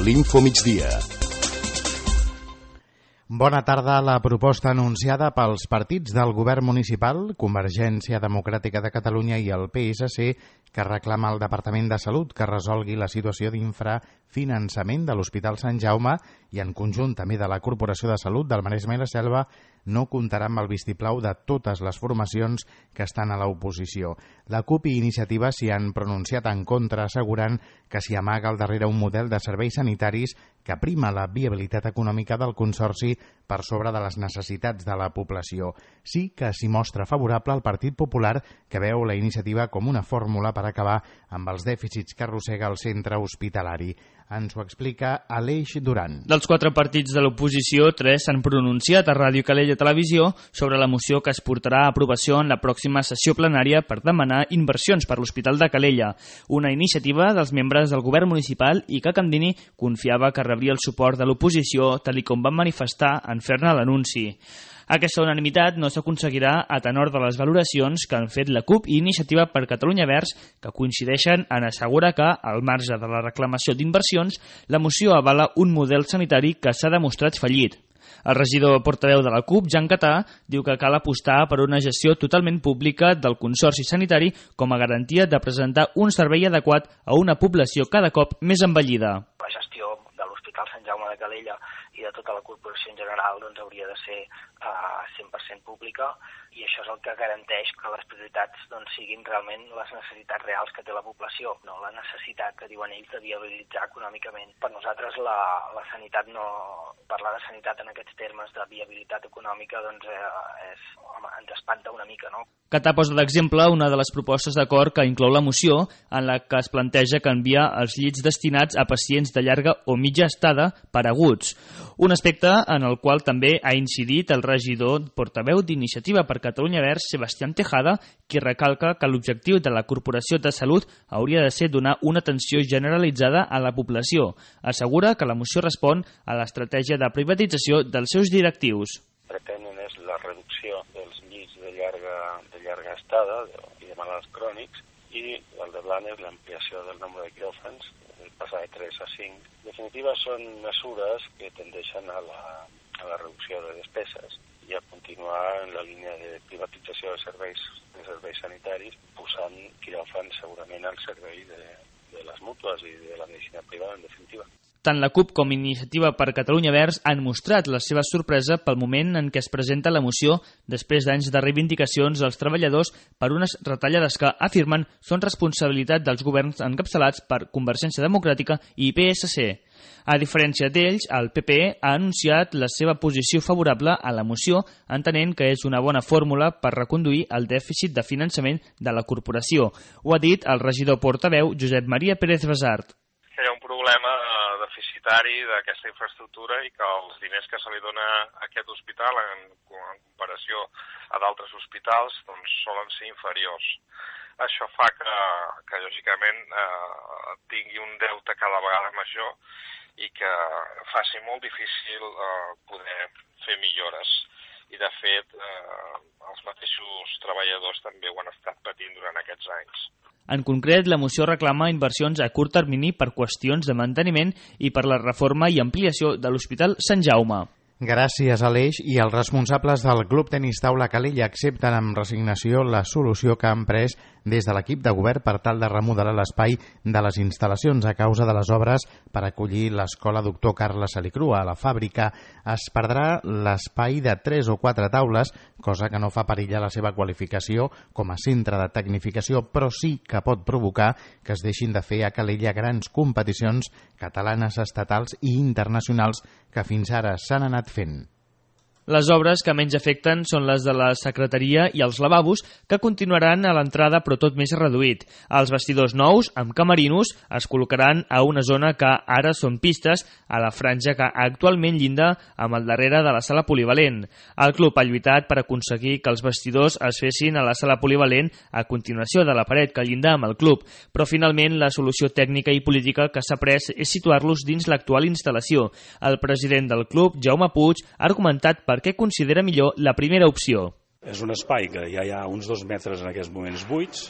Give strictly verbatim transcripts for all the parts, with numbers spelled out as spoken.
l'Infomigdia. Bona tarda. La proposta anunciada pels partits del govern municipal, Convergència Democràtica de Catalunya i el P S C, que reclama al Departament de Salut que resolgui la situació d'infrafinançament de l'Hospital Sant Jaume i en conjunt també de la Corporació de Salut del Maresme i la Selva, no comptarà amb el vistiplau de totes les formacions que estan a l'oposició. La CUP i Iniciativa s'hi han pronunciat en contra, assegurant que s'hi amaga al darrere un model de serveis sanitaris que prima la viabilitat econòmica del Consorci per sobre de les necessitats de la població. Sí que s'hi mostra favorable al Partit Popular, que veu la iniciativa com una fórmula per acabar amb els dèficits que arrossega el centre hospitalari. Ens ho explica Aleix Duran. Dels quatre partits de l'oposició, tres s'han pronunciat a Ràdio Calella Televisió sobre la moció que es portarà a aprovació en la pròxima sessió plenària per demanar inversions per l'Hospital de Calella, una iniciativa dels membres del govern municipal i que Candini confiava que rebria el suport de l'oposició, tal com van manifestar en fer-ne l'anunci. Aquesta unanimitat no s'aconseguirà a tenor de les valoracions que han fet la CUP i Iniciativa per Catalunya Verds, que coincideixen en assegurar que, al marge de la reclamació d'inversions, la moció avala un model sanitari que s'ha demostrat fallit. El regidor portaveu de la CUP, Jan Catà, diu que cal apostar per una gestió totalment pública del Consorci Sanitari com a garantia de presentar un servei adequat a una població cada cop més envellida. La gestió de l'Hospital Sant Jaume de Calella i de tota la corporació en general doncs, hauria de ser uh, cent per cent pública, i això és el que garanteix que les prioritats doncs, siguin realment les necessitats reals que té la població, no la necessitat que diuen ells de viabilitzar econòmicament. Per nosaltres la, la sanitat no... parlar de sanitat en aquests termes de viabilitat econòmica doncs, eh, és, home, ens espanta una mica, no? Catà posa d'exemple una de les propostes d'acord que inclou la moció, en la que es planteja canviar els llits destinats a pacients de llarga o mitja estada per aguts. Un aspecte en el qual també ha incidit el regidor portaveu d'Iniciativa per Catalunya Verds, Sebastián Tejada, qui recalca que l'objectiu de la Corporació de Salut hauria de ser donar una atenció generalitzada a la població. Assegura que la moció respon a l'estratègia de privatització dels seus directius. Pretenen és la reducció dels llits de llarga, de llarga estada i de malalts crònics, i el de blanc és l'ampliació del nombre de quiròfans, passar de tres a cinc. En definitiva, són mesures que tendeixen a la, a la reducció de despeses i a continuar en la línia de privatització de serveis, de serveis sanitaris, posant quiròfans segurament al servei de, de les mútues i de la medicina privada, en definitiva. Tant la CUP com Iniciativa per Catalunya Verds han mostrat la seva sorpresa pel moment en què es presenta la moció després d'anys de reivindicacions dels treballadors per unes retallades que, afirmen, són responsabilitat dels governs encapçalats per Convergència Democràtica i P S C. A diferència d'ells, el P P ha anunciat la seva posició favorable a la moció, entenent que és una bona fórmula per reconduir el dèficit de finançament de la corporació. Ho ha dit el regidor portaveu Josep Maria Pérez Basart. Hi ha un problema deficitari d'aquesta infraestructura i que els diners que se li dona a aquest hospital en, en comparació a d'altres hospitals doncs solen ser inferiors. Això fa que, que lògicament, eh, tingui un deute cada vegada major i que faci molt difícil eh, poder fer millores. I, de fet, eh, els mateixos treballadors també ho han estat patint durant aquests anys. En concret, la moció reclama inversions a curt termini per qüestions de manteniment i per la reforma i ampliació de l'Hospital Sant Jaume. Gràcies, Aleix. I els responsables del Club Tenis Taula Calella accepten amb resignació la solució que han pres des de l'equip de govern per tal de remodelar l'espai de les instal·lacions a causa de les obres per acollir l'escola Doctor Carles Salicrua. A la fàbrica es perdrà l'espai de tres o quatre taules, cosa que no fa perillar la seva qualificació com a centre de tecnificació, però sí que pot provocar que es deixin de fer a Calella grans competicions catalanes, estatals i internacionals que fins ara s'han anat fent. Les obres que menys afecten són les de la secretaria i els lavabos, que continuaran a l'entrada però tot més reduït. Els vestidors nous, amb camerinos, es col·locaran a una zona que ara són pistes, a la franja que actualment llinda amb el darrere de la sala polivalent. El club ha lluitat per aconseguir que els vestidors es fessin a la sala polivalent a continuació de la paret que llinda amb el club, però finalment la solució tècnica i política que s'ha pres és situar-los dins l'actual instal·lació. El president del club, Jaume Puig, ha argumentat per què considera millor la primera opció. És un espai que ja hi ha uns dos metres en aquests moments buits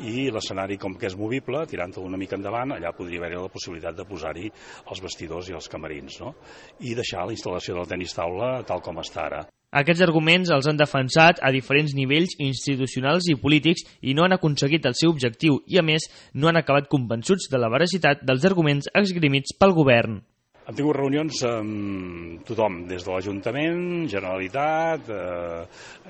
i l'escenari, com que és movible, tirant-lo una mica endavant, allà podria haver-hi la possibilitat de posar-hi els vestidors i els camerins, no? I deixar la instal·lació del tenis taula tal com està ara. Aquests arguments els han defensat a diferents nivells institucionals i polítics i no han aconseguit el seu objectiu i, a més, no han acabat convençuts de la veracitat dels arguments esgrimits pel govern. Hem tingut reunions amb tothom, des de l'Ajuntament, Generalitat, eh,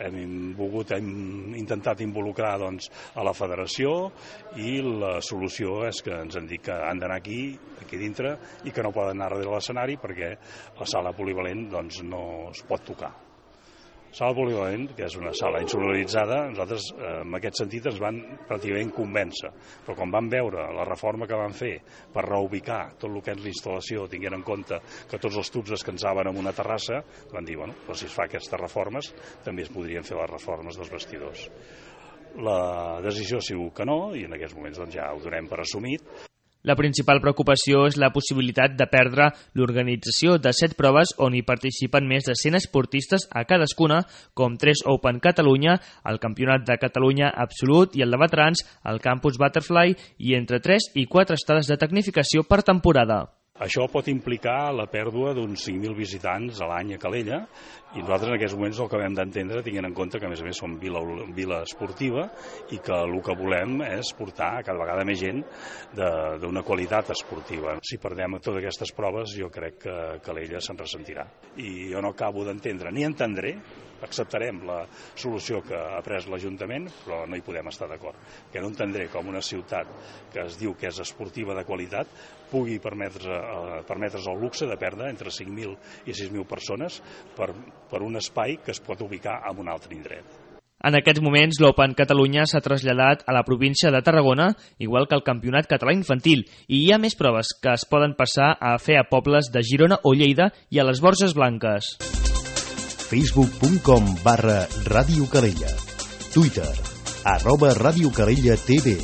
hem volgut, hem intentat involucrar doncs, a la Federació i la solució és que ens han dit que han d'anar aquí, aquí dintre, i que no poden anar darrere l'escenari perquè la sala polivalent doncs, no es pot tocar. Sala polivalent, que és una sala insonoritzada, nosaltres eh, en aquest sentit ens van pràcticament convèncer, però quan vam veure la reforma que van fer per reubicar tot el que és l'instal·lació, tinguent en compte que tots els tubs descansaven en una terrassa, van dir, bueno, doncs si es fa aquestes reformes, també es podrien fer les reformes dels vestidors. La decisió ha sigut que no, i en aquests moments doncs, ja ho donem per assumit. La principal preocupació és la possibilitat de perdre l'organització de set proves on hi participen més de cent esportistes a cadascuna, com tres Open Catalunya, el Campionat de Catalunya Absolut i el de Veterans, el Campus Butterfly i entre tres i quatre estades de tecnificació per temporada. Això pot implicar la pèrdua d'uns cinc mil visitants a l'any a Calella i nosaltres en aquests moments el que hem d'entendre, tinguent en compte que a més a més som vila, vila esportiva i que el que volem és portar cada vegada més gent d'una qualitat esportiva. Si perdem totes aquestes proves jo crec que Calella se'n ressentirà. I jo no acabo d'entendre ni entendré, acceptarem la solució que ha pres l'Ajuntament, però no hi podem estar d'acord. Que no entendré com una ciutat que es diu que és esportiva de qualitat pugui permetre's, eh, permetre's el luxe de perdre entre cinc mil i sis mil persones per, per un espai que es pot ubicar en un altre indret. En aquests moments, l'Open Catalunya s'ha traslladat a la província de Tarragona, igual que el Campionat Català Infantil, i hi ha més proves que es poden passar a fer a pobles de Girona o Lleida i a les Borges Blanques. facebook punt com barra Ràdio Calella. Twitter, arroba Ràdio Calella T V.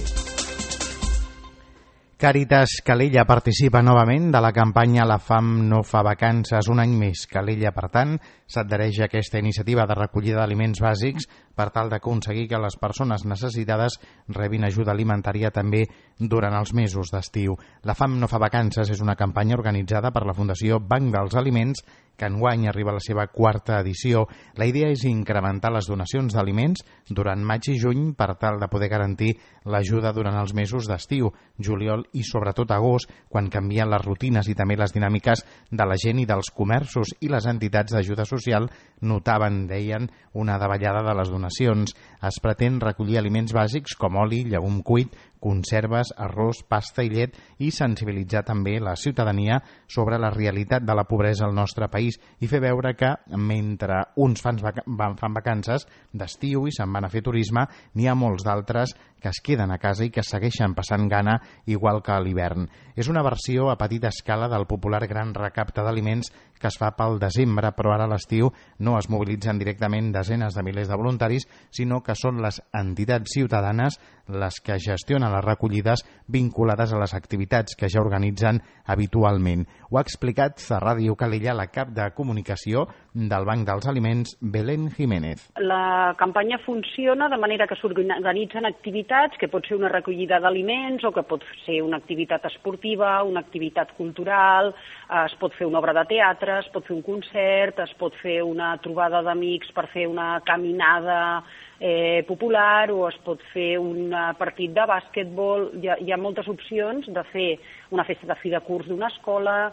Càritas Calella participa novament de la campanya La fam no fa vacances un any més. Calella, per tant, s'adhereix a aquesta iniciativa de recollida d'aliments bàsics per tal d'aconseguir que les persones necessitades rebin ajuda alimentària també durant els mesos d'estiu. La fam no fa vacances és una campanya organitzada per la Fundació Banc dels Aliments que enguany arriba a la seva quarta edició. La idea és incrementar les donacions d'aliments durant maig i juny per tal de poder garantir l'ajuda durant els mesos d'estiu, juliol i sobretot agost, quan canvien les rutines i també les dinàmiques de la gent i dels comerços, i les entitats d'ajuda social notaven, deien, una davallada de les donacions. Es pretén recollir aliments bàsics com oli, llegum cuit, conserves, arròs, pasta i llet i sensibilitzar també la ciutadania sobre la realitat de la pobresa al nostre país i fer veure que mentre uns fan, fan vacances d'estiu i se'n van a fer turisme, n'hi ha molts d'altres que es queden a casa i que segueixen passant gana igual que a l'hivern. És una versió a petita escala del popular gran recapte d'aliments que es fa pel desembre, però ara a l'estiu no es mobilitzen directament desenes de milers de voluntaris, sinó que són les entitats ciutadanes les que gestionen les recollides vinculades a les activitats que ja organitzen habitualment. Ho ha explicat a Ràdio Calella la cap de comunicació del Banc dels Aliments, Belén Jiménez. La campanya funciona de manera que s'organitzen activitats, que pot ser una recollida d'aliments o que pot ser una activitat esportiva, una activitat cultural, es pot fer una obra de teatre, es pot fer un concert, es pot fer una trobada d'amics per fer una caminada eh, popular, o es pot fer un partit de bàsquetbol. Hi ha, hi ha moltes opcions de fer una festa de fi de curs d'una escola,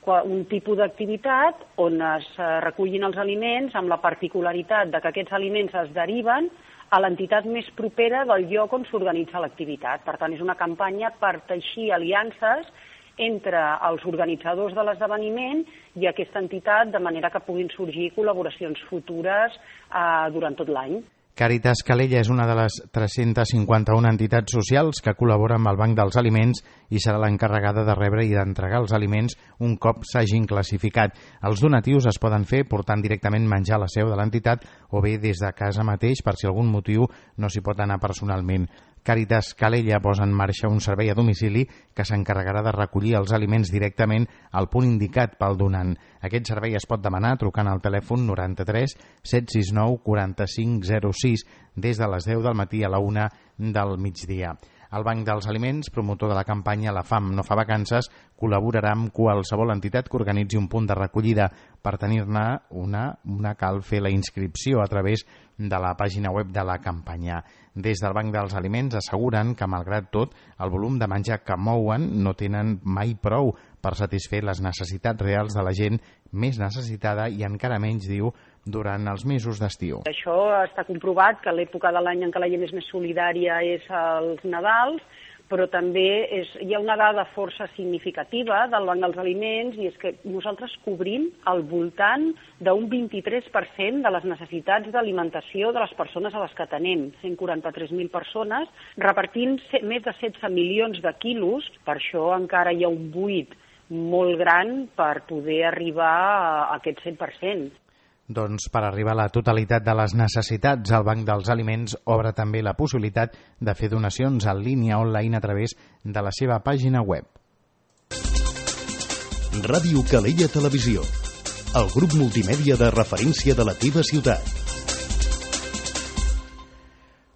un tipus d'activitat on es recullin els aliments amb la particularitat de que aquests aliments es deriven a l'entitat més propera del lloc on s'organitza l'activitat. Per tant, és una campanya per teixir aliances entre els organitzadors de l'esdeveniment i aquesta entitat, de manera que puguin sorgir col·laboracions futures eh, durant tot l'any. Càritas Calella és una de les tres-centes cinquanta-una entitats socials que col·labora amb el Banc dels Aliments i serà l'encarregada de rebre i d'entregar els aliments un cop s'hagin classificat. Els donatius es poden fer portant directament menjar a la seu de l'entitat o bé des de casa mateix per si algun motiu no s'hi pot anar personalment. Càritas Calella posa en marxa un servei a domicili que s'encarregarà de recollir els aliments directament al punt indicat pel donant. Aquest servei es pot demanar trucant al telèfon noranta-tres set sis nou quaranta-cinc zero sis des de les deu del matí a la una del migdia. El Banc dels Aliments, promotor de la campanya La Fam no fa vacances, col·laborarà amb qualsevol entitat que organitzi un punt de recollida. Per tenir-ne una, una cal fer la inscripció a través de la pàgina web de la campanya. Des del Banc dels Aliments asseguren que, malgrat tot, el volum de menjar que mouen no tenen mai prou per satisfer les necessitats reals de la gent més necessitada i encara menys, diu, durant els mesos d'estiu. Això està comprovat que l'època de l'any en què la gent és més solidària és als Nadals, però també és, hi ha una dada força significativa del Banc dels Aliments i és que nosaltres cobrim al voltant d'un vint-i-tres per cent de les necessitats d'alimentació de les persones a les que atenem, cent quaranta-tres mil persones, repartint més de setze milions de quilos. Per això encara hi ha un buit molt gran per poder arribar a aquest cent per cent. Doncs per arribar a la totalitat de les necessitats, el Banc dels Aliments obre també la possibilitat de fer donacions en línia online a través de la seva pàgina web. Ràdio Calella Televisió, el grup multimèdia de referència de la teva ciutat.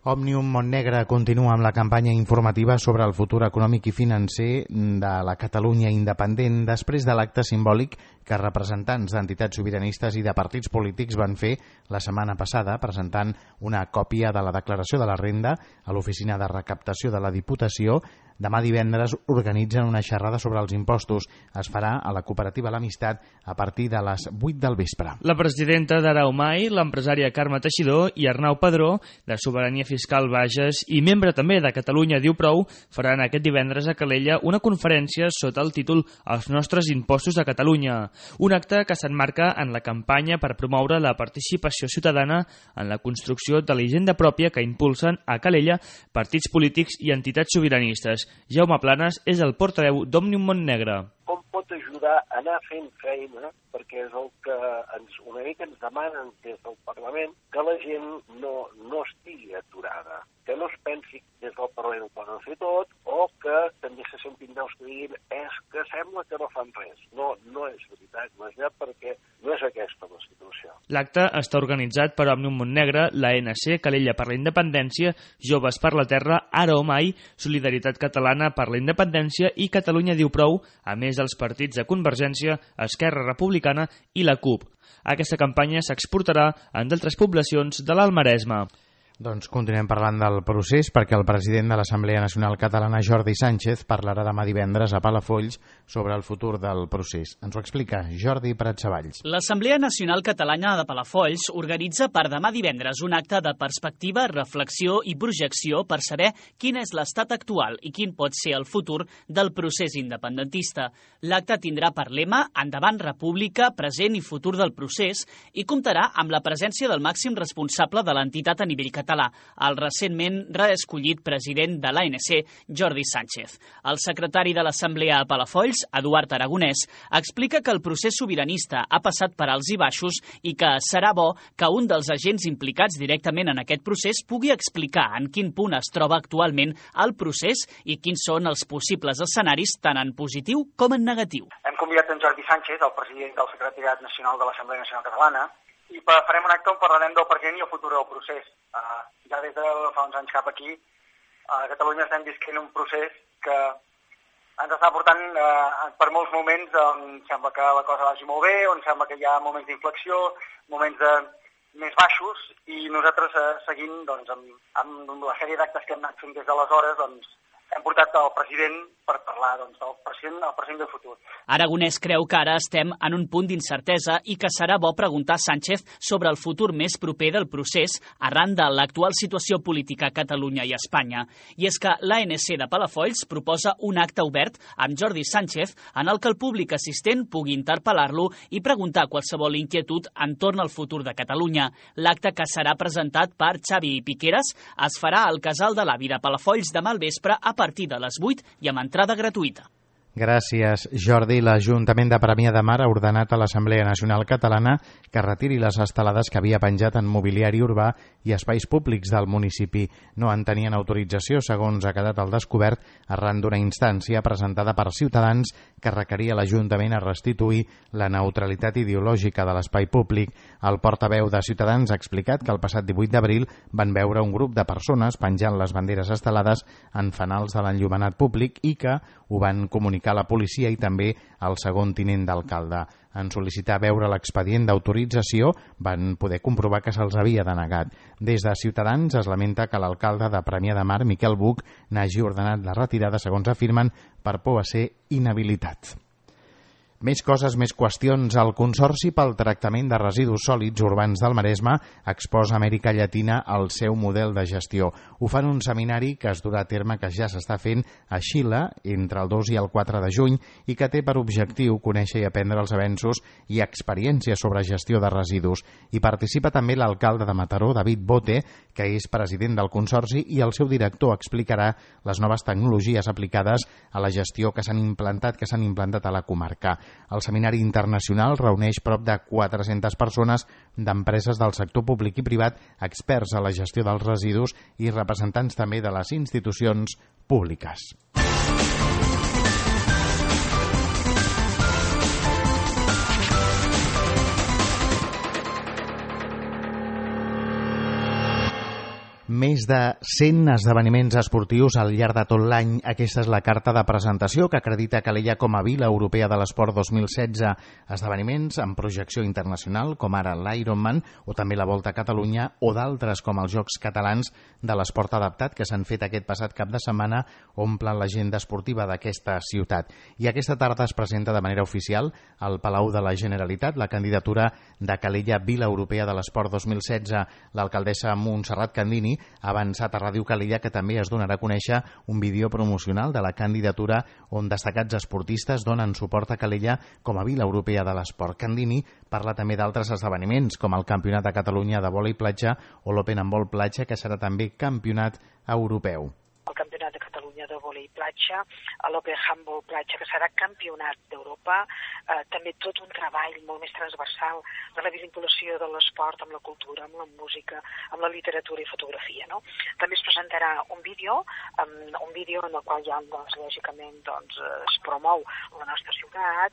Òmnium Montnegre continua amb la campanya informativa sobre el futur econòmic i financer de la Catalunya independent després de l'acte simbòlic que representants d'entitats sobiranistes i de partits polítics van fer la setmana passada presentant una còpia de la declaració de la renda a l'oficina de recaptació de la Diputació. Demà divendres organitzen una xerrada sobre els impostos. Es farà a la cooperativa L'Amistat a partir de les vuit del vespre. La presidenta d'Araumai, l'empresària Carme Teixidor i Arnau Padró, de Sobirania Fiscal Bages i membre també de Catalunya Diu Prou, faran aquest divendres a Calella una conferència sota el títol Els nostres impostos a Catalunya. Un acte que s'emmarca en la campanya per promoure la participació ciutadana en la construcció de la hisenda pròpia que impulsen a Calella partits polítics i entitats sobiranistes. Jaume Planes és el portaveu d'Òmnium Montnegre. Com pot ajudar a anar fent feina, perquè és el que ens, una mica ens demanen des del Parlament, que la gent no, no estigui aturada, que no es pensi des del Parlament ho poden fer tot, o que també se sentin veus que diguin és que sembla que no fan res. No, no és veritat, no és veritat, perquè no és aquesta la situació. L'acte està organitzat per Òmnium Montnegre, l'A N C, Calella per la Independència, Joves per la Terra, Ara o Mai, Solidaritat Catalana per la Independència i Catalunya Diu Prou, a més dels partits de Convergència, Esquerra Republicana i la CUP. Aquesta campanya s'exportarà en d'altres poblacions de l'Alt Maresme. Doncs continuem parlant del procés perquè el president de l'Assemblea Nacional Catalana, Jordi Sánchez, parlarà demà divendres a Palafolls sobre el futur del procés. Ens ho explica Jordi Pratsavalls. L'Assemblea Nacional Catalana de Palafolls organitza per demà divendres un acte de perspectiva, reflexió i projecció per saber quin és l'estat actual i quin pot ser el futur del procés independentista. L'acte tindrà per lema Endavant República, present i futur del procés i comptarà amb la presència del màxim responsable de l'entitat a nivell català, el recentment reescollit president de l'A N C, Jordi Sánchez. El secretari de l'Assemblea a Palafolls, Eduard Aragonès, explica que el procés sobiranista ha passat per alts i baixos i que serà bo que un dels agents implicats directament en aquest procés pugui explicar en quin punt es troba actualment el procés i quins són els possibles escenaris tant en positiu com en negatiu. Hem convidat en Jordi Sánchez, el president del Secretariat Nacional de l'Assemblea Nacional Catalana, i farem un acte on parlarem del present i el futur del procés. Uh, ja des de fa uns anys cap aquí, a Catalunya estem visquent un procés que ens està portant uh, per molts moments on sembla que la cosa vagi molt bé, on sembla que hi ha moments d'inflexió, moments de més baixos, i nosaltres uh, seguint doncs, amb, amb la sèrie d'actes que hem anat fent des d'aleshores, doncs, hem portat el president per parlar doncs, del present, el present i el futur. Aragonès creu que ara estem en un punt d'incertesa i que serà bo preguntar a Sánchez sobre el futur més proper del procés arran de l'actual situació política a Catalunya i Espanya. I és que l'A N C de Palafolls proposa un acte obert amb Jordi Sánchez en el que el públic assistent pugui interpel·lar-lo i preguntar qualsevol inquietud entorn al futur de Catalunya. L'acte, que serà presentat per Xavi Piqueras, es farà al Casal de l'Avi de Palafolls demà al vespre a partir de les vuit i amb entrada gratuïta. Gràcies, Jordi. L'Ajuntament de Premià de Mar ha ordenat a l'Assemblea Nacional Catalana que retiri les estelades que havia penjat en mobiliari urbà i espais públics del municipi. No en tenien autorització, segons ha quedat al descobert arran d'una instància presentada per Ciutadans que requeria l'Ajuntament a restituir la neutralitat ideològica de l'espai públic. El portaveu de Ciutadans ha explicat que el passat divuit d'abril van veure un grup de persones penjant les banderes estelades en fanals de l'enllumenat públic i que ho van comunicar a la policia i també al segon tinent d'alcalde. En sol·licitar veure l'expedient d'autorització van poder comprovar que se'ls havia denegat. Des de Ciutadans es lamenta que l'alcalde de Premià de Mar, Miquel Buch, n'hagi ordenat la retirada, segons afirmen, per por a ser inhabilitat. Més coses, més qüestions. El Consorci pel Tractament de Residus Sòlids Urbans del Maresme exposa a Amèrica Llatina el seu model de gestió. Ho fan un seminari que es durà a terme, que ja s'està fent a Xile entre el dos i el quatre de juny i que té per objectiu conèixer i aprendre els avenços i experiències sobre gestió de residus. Hi participa també l'alcalde de Mataró, David Bote, que és president del Consorci, i el seu director explicarà les noves tecnologies aplicades a la gestió que s'han implantat, que s'han implantat a la comarca. El seminari internacional reuneix prop de quatre-centes persones d'empreses del sector públic i privat, experts a la gestió dels residus i representants també de les institucions públiques. Més de cent esdeveniments esportius al llarg de tot l'any. Aquesta és la carta de presentació que acredita Calella com a Vila Europea de l'Esport dos mil setze. Esdeveniments amb projecció internacional, com ara l'Ironman o també la Volta a Catalunya, o d'altres com els Jocs Catalans de l'Esport Adaptat, que s'han fet aquest passat cap de setmana, omplen l'agenda esportiva d'aquesta ciutat. I aquesta tarda es presenta de manera oficial al Palau de la Generalitat la candidatura de Calella Vila Europea de l'Esport dos mil setze. L'alcaldessa Montserrat Candini ha avançat a Ràdio Calella que també es donarà a conèixer un vídeo promocional de la candidatura on destacats esportistes donen suport a Calella com a Vila Europea de l'Esport. Candini parla també d'altres esdeveniments com el Campionat de Catalunya de vòlei platja o l'Open Handball platja, que serà també campionat europeu. El Campionat de Catalunya de vòlei platja, l'Open Handball platja, que serà campionat d'Europa, eh, també tot un treball molt més transversal de la vinculació de l'esport amb la cultura, amb la música, amb la literatura i fotografia, no? També es presentarà un vídeo, um, un vídeo en el qual ja, doncs, lògicament, doncs, es promou la nostra ciutat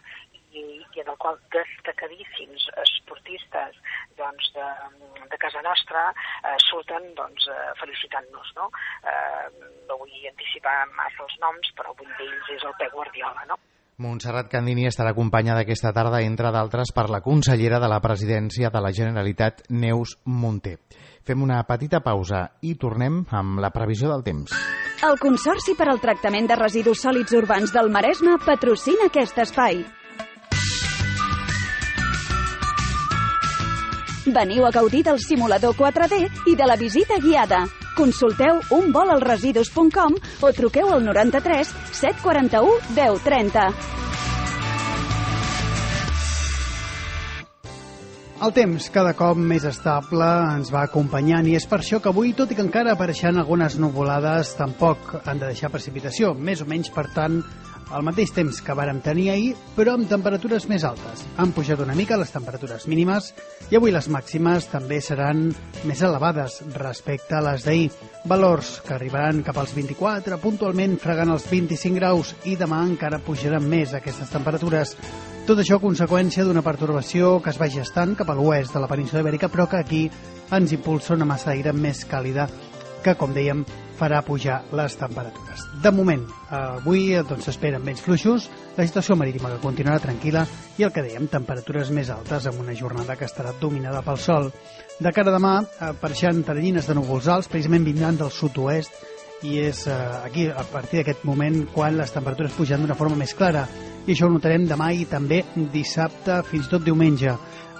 i, i en el qual destacadíssims esportistes doncs, de, de casa nostra eh, surten doncs, eh, felicitant-nos, no? Eh, no vull anticipar massa els noms, però un d'ells és el Pep Guardiola, no? Montserrat Candini estarà acompanyada aquesta tarda, entre d'altres, per la consellera de la Presidència de la Generalitat, Neus Munté. Fem una petita pausa i tornem amb la previsió del temps. El Consorci per al Tractament de Residus Sòlids Urbans del Maresme patrocina aquest espai. Veniu a gaudir del simulador quatre D i de la visita guiada. Consulteu un vol al residus punt com o truqueu al noranta-tres set quaranta-u deu trenta. El temps, cada cop més estable, ens va acompanyant i és per això que avui, tot i que encara apareixen algunes nuvolades, tampoc han de deixar precipitació, més o menys, per tant, el mateix temps que vàrem tenir ahir, però amb temperatures més altes. Han pujat una mica les temperatures mínimes i avui les màximes també seran més elevades respecte a les d'ahir. Valors que arribaran cap als vint-i-quatre, puntualment fregant els vint-i-cinc graus, i demà encara pujaran més aquestes temperatures. Tot això a conseqüència d'una pertorbació que es va gestant cap a l'oest de la península Ibèrica, però que aquí ens impulsa una massa d'aire més càlida que, com dèiem, farà pujar les temperatures. De moment, avui doncs, s'esperen vents fluixos, la situació marítima que continuarà tranquil·la i el que dèiem, temperatures més altes amb una jornada que estarà dominada pel sol. De cara a demà, apareixen teranyines de núvols alts, precisament vindran del sud-oest, i és eh, aquí, a partir d'aquest moment, quan les temperatures pugen d'una forma més clara. I això ho notarem demà i també dissabte, fins i tot diumenge,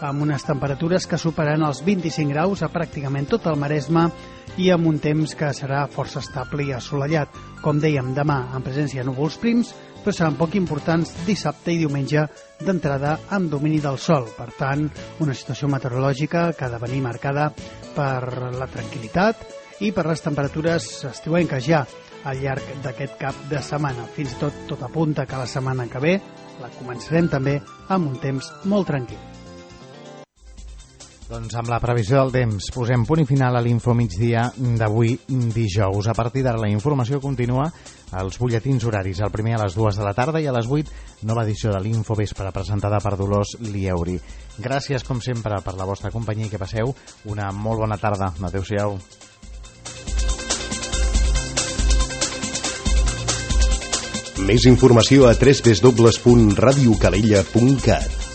amb unes temperatures que superaran els vint-i-cinc graus a pràcticament tot el Maresme i amb un temps que serà força estable i assolellat. Com dèiem, demà en presència de núvols prims, però seran poc importants dissabte i diumenge d'entrada amb domini del sol. Per tant, una situació meteorològica que ha de venir marcada per la tranquil·litat i per les temperatures estiuenques ja. al llarg d'aquest cap de setmana. Fins i tot tot apunta que la setmana que ve la començarem també amb un temps molt tranquil. Doncs amb la previsió del temps posem punt i final a l'Info Migdia d'avui dijous. A partir d'ara la informació continua als butlletins horaris, el primer a les dues de la tarda i a les vuit nova edició de l'Info Vespre presentada per Dolors Lieuri. Gràcies com sempre per la vostra companyia i que passeu una molt bona tarda. Adéu-siau. Més informació a w w w punt radio calella punt cat.